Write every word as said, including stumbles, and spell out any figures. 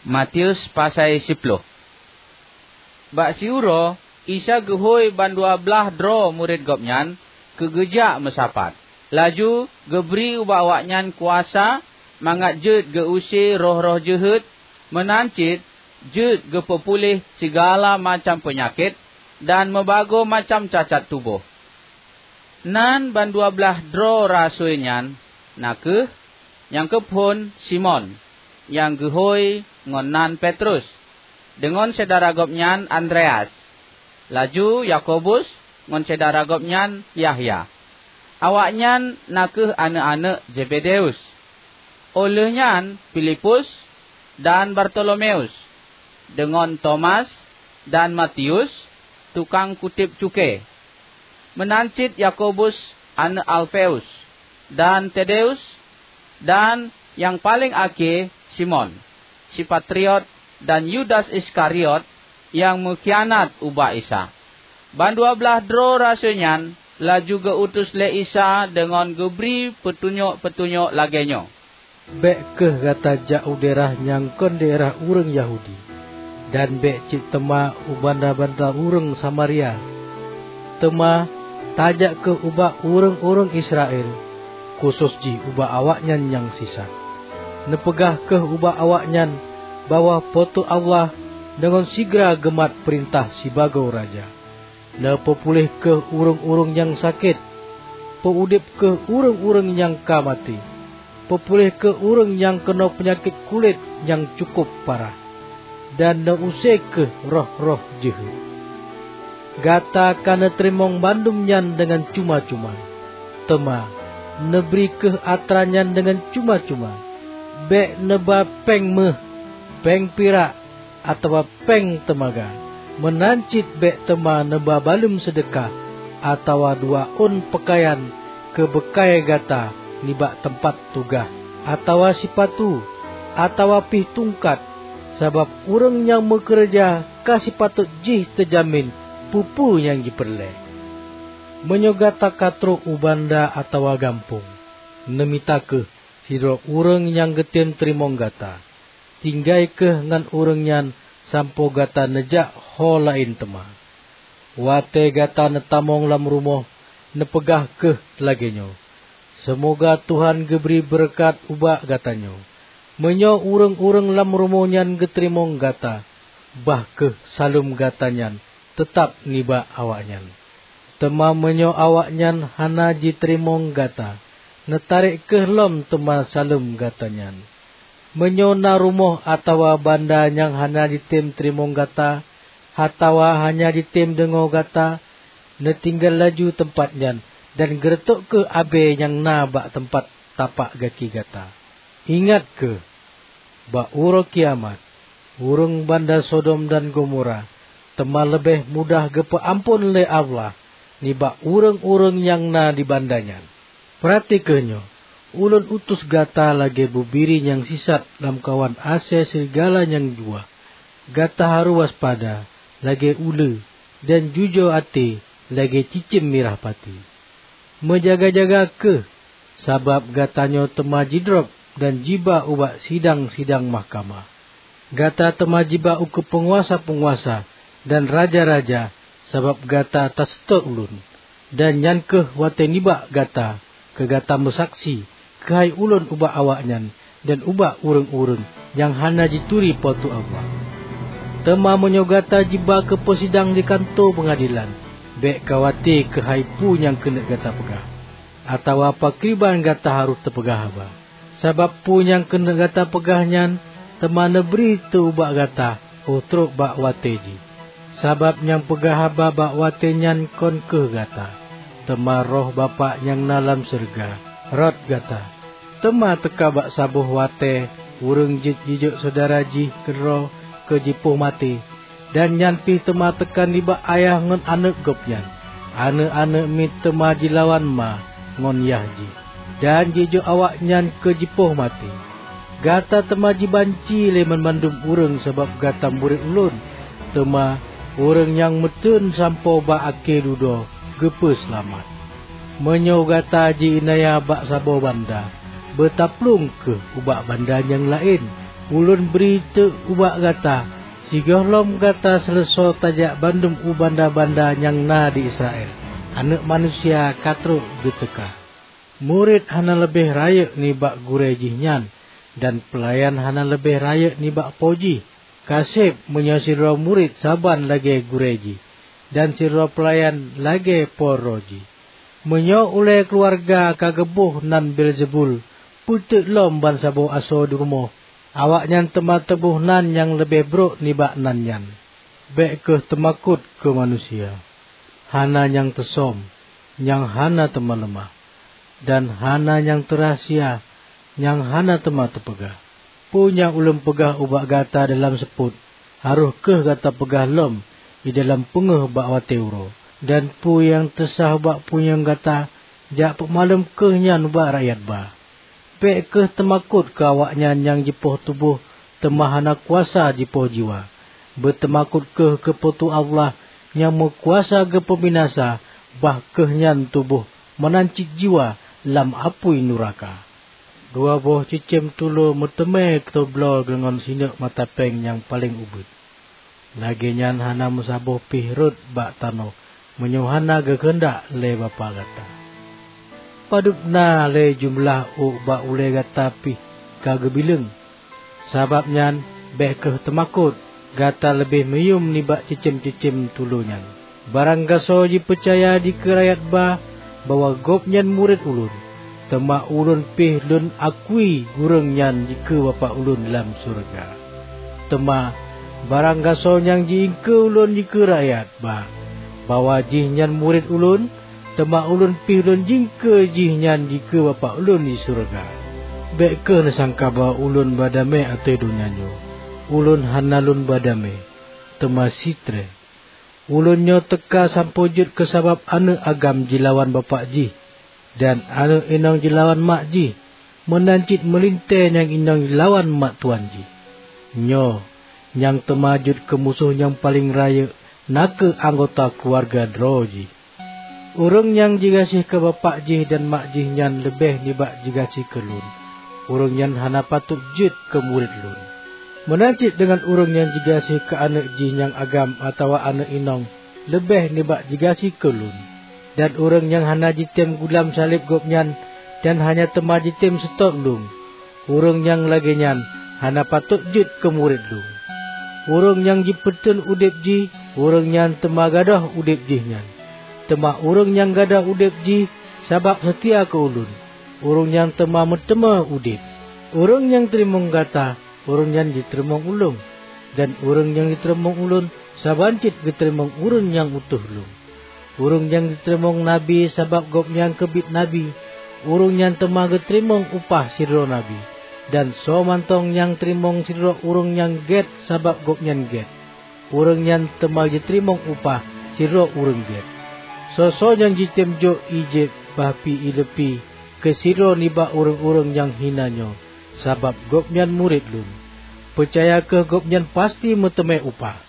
Matius pasai siploh. Bak siuroe, Isa geuhôi bandua blaih droe murit Gobnyan keu geujak meusapat. Laju geubri ubak awaknyan kuasa mangat jeuet geu-use roh-roh jeuhet, meunan cit jeuet geupeupuléh sigala macam peunyakét dan meubagoe macam cacat tuboh. Nan bandua blaih droe rasui nyan na kheueh nyang keuphon Simon, nyang geuhôi ngon nan Petrus, deungon syedara gobnyan Andreas, laju Yakobus ngon syedara gobnyan Yahya. Awaknyan na kheueh aneuëk-aneuëk Zebedeus. Óh lheueh nyan Filipus dan Bartolomeus, deungon Tomas dan Matius, tukang kutéb cukée, meunan cit Yakobus aneuëk Alfeus, dan Tadeus, dan nyang paleng akhé Simon si Patriot, dan Yudas Iskariot nyang meukhianat ubak Isa. Bandua blaih droe rasui nyan laju geu-utus lé Isa deungon geubri peutunyok-peutunyok lagée nyoe, "Bék kheueh gata jak u daerah nyang kon daerah ureuëng Yahudi, dan bék cit teuma u banda-banda ureuëng Samaria. Teuma tajak kheueh ubak ureuëng-ureuëng Israel, khusos jih ubak awaknyan nyang sisat. Neupeugah kheueh ubak awaknyan bahwa Po teu Allah deungon sigra geumat peurintah sibagoe Raja. Neupeupuléh kheueh ureuëng-ureuëng nyang sakét, peu-udeb kheueh ureuëng-ureuëng nyang ka maté, peupuléh kheueh ureuëng nyang keunoe peunyakét kulét nyang cukôp parah, dan neu-use kheueh roh-roh jeuhet. Gata ka neuteurimong bandum nyan deungon cuma-cuma. Teuma neubri kheueh atra nyan deungon cuma-cuma. Bék neuba péng méuh, péng pirak, atawa péng teumaga. Meunan cit bék teuma neuba baleuem seudeukah atawa dua ôn peukayan keu beukai gata nibak teumpat tugaih, atawa sipatu, atawa pih tungkat, sabab ureuëng nyang meukeureuja ka sipatot jih teujamin peue-peue nyang jipeureulée. Meunyoe gata ka trok u banda atawa gampông, neumita kheueh sidroe ureuëng nyang geutem teurimong gata. Tinggai kheueh ngon ureuëng nyan sampoe gata neujak ho laén teuma. Watée gata neutamong lam rumoh, neupeugah kheueh lagée nyoe, 'Seumoga Tuhan geubri beureukat ubak gata nyoe.' Meunyoe ureuëng-ureuëng lam rumoh nyan geuteurimong gata, bah kheueh saleuem gata nyan teutab nibak awaknyan. Teuma meunyoe awaknyan hana jiteurimong gata, neutarek kheueh lom teuma saleuem gata nyan. Meunyoe na rumoh atawa banda nyang hana jitem teurimong gata, atawa hana jitem deungoe gata, neutinggai laju teumpat nyan dan geureutôk kheueh abée nyang na bak teumpat tapak gaki gata. Ingat kheueh, bak uroe kiamat, ureuëng banda Sodom dan Gomora teuma leubeh mudah geupeu amphon lé Allah nibak ureuëng-ureuëng nyang na di banda nyan. Peurati kheueh nyoe, ulôn utus gata lagée bubiri nyang sisat lamkawan asée serigala nyang juah. Gata harôh waspada lagée uleue, dan jujoe até lagée cicém mirah pati. Meujaga-jaga kheueh, sabab gata nyoe teuma jidrob dan jiba ubak sidang-sidang mahkamah. Gata teuma jiba ukeue peunguasa-peunguasa dan raja-raja sabab gata taseutôt ulôn. Dan nyan kheueh watée nibak gata keu gata meusaksi keuhai ulôn ubak awaknyan dan ubak ureuëng-ureuëng nyang hana jituri Po teu Allah. Teuma meunyoe gata jiba keu peusidang di kantô peungadilan, bék khawate keuhai peue nyang keuneuk gata peugah, atawa pakriban gata harôh teupeugah haba. Sabab peue nyang keuneuk gata peugah nyan teuma neubri teuh ubak gata óh trok bak watée jih. Sabab nyang peugah haba bak watée nyan kon kheueh gata, teuma Roh Bapak nyang na lam syeuruga rot gata. Teuma teuka bak saboh watée ureuëng jeuet jijok syedara jih keudroe keu jipoh maté, dan nyan pih teuma teuka nibak ayah ngon aneuëk gobnyan. Aneuëk-aneuëk miet teuma jilawan ma ngon yah jih, dan jijok awaknyan keu jipoh maté. Gata teuma jibanci lé banmandum ureuëng sabab gata murit ulôn, teuma ureuëng nyang meuteun sampoe bak akhé dudoe geupeuseulamat. Meunyoe gata ji-iénanya bak saboh banda, beutaplueng kheueh ubak banda nyang laén. Ulôn bri teuk ubak gata, sigohlom gata seuleusoe tajak bandum u banda-banda nyang na di Israel, Aneuëk Manusia ka trok geuteuka. Murit hana leubeh rayeuk nibak gurée jih nyan, dan peulayan hana leubeh rayeuk nibak po jih. Ka seb meunyoe sidroe murit saban lagée gurée jih, dan sidroe peulayan lagée po droe jih. Meunyoe ulée keuluwarga ka geuboh nan Beelzebul, peue teuk lom bansaboh asoe di rumoh, awaknyan teuma teuboh nan nyang leubeh brok nibak nan nyan. Bék kheueh teumakot keu manusia. Hana nyang teusöm, nyang hana teuma leumah, dan hana nyang teurahsia, nyang hana teuma teupeugah. Peue nyang ulôn peugah ubak gata dalam seupôt, harôh kheueh gata peugah lom di dalam peungéh bak watée uroe. Dan peue nyang teusa ubak punyueng gata, jak peumalom kheueh nyan ubak rakyat ba. Bék kheueh teumakot keu awaknyan nyang jipoh tuboh, teuma hana kuasa jipoh jiwa. Beuteumakot kheueh keu Po teu Allah nyang meukuasa geupeubinasa, bah kheueh nyan tuboh meunan cit jiwa lam apui nuraka. Dua boh cicém tulo meuteumé teubloe deungon sineuk mata péng nyang paleng ubit. Lagée nyan hana meusaboh pih rhot bak tanoh meunyoe hana geukheundak lé Bapak gata. Padub na lé jeumeulah ôk bak ulée gata pih ka geubileueng. Sabab nyan, bék kheueh teumakot, gata leubeh meuyuem nibak cicém-cicém tulo nyan. Baranggasoe jipeucaya dikeue rakyat ba bahwa gobnyan murit ulôn, teuma ulôn pih lôn akui ureuëng nyan dikeue Bapak ulôn lam syeuruga. Teuma baranggasoe nyang ji-iengkeue ulôn dikeue rakyat ba bahwa jihnyan murit ulôn, teuma ulôn pih lôn jiengkeue jihnyan dikeue Bapak ulôn di syeuruga. Bék kheueh neusangka bahwa ulôn ba damé ateueh donya nyoe. Ulôn hana lôn ba damé, teuma sitrée. Ulôn nyoe teuka sampoe jeuet keu sabab aneuëk agam jilawan bapak jih, dan aneuëk inong jilawan mak jih, meunan cit meulintée nyang inong jilawan mak tuan jih. Nyoe nyang teuma jeuet keu musoh nyang paleng rayeuk na kheueh anggota keuluwarga droe jih. Ureuëng nyang jigaséh keu bapak jih dan mak jih nyan leubeh nibak jigaséh keu lôn, ureuëng nyan hana patot jeuet keu murit lôn. Meunan cit deungon ureuëng nyang jigaséh keu aneuëk jih nyang agam atawa aneuëk inong leubeh nibak jigaséh keu lôn. Dan ureuëng nyang hana jitem gulam saleb gobnyan dan hana teuma jitem seutôt lôn, ureuëng nyang lagée nyan hana patot jeuet keu murit lôn. Ureuëng nyang jipeuteun udeb jih, ureuëng nyan teuma gadôh udeb jih nyan. Teuma ureuëng nyang gadôh udeb jih sabab seutia keu ulôn, ureuëng nyan teuma meuteumé udeb. Ureuëng nyang teurimong gata, ureuëng nyan jiteurimong ulôn, dan ureuëng nyang jiteurimong ulôn, saban cit geuteurimong ureuëng nyang utus lôn. Ureuëng nyang jiteurimong nabi sabab gobnyan keubiet nabi, ureuëng nyan teuma geuteurimong upah sidroe nabi. Dan soe mantong nyang teurimong sidroe ureuëng nyang gét sabab gobnyan gét, ureuëng nyan teuma jiteurimong upah sidroe ureuëng gét. Soe-soe nyang jitem jok ié jieb bah pih ié leupie keu sidroe nibak ureuëng-ureuëng nyang hina nyoe sabab gobnyan murit lôn, peucaya kheueh gobnyan pasti meuteumé upah.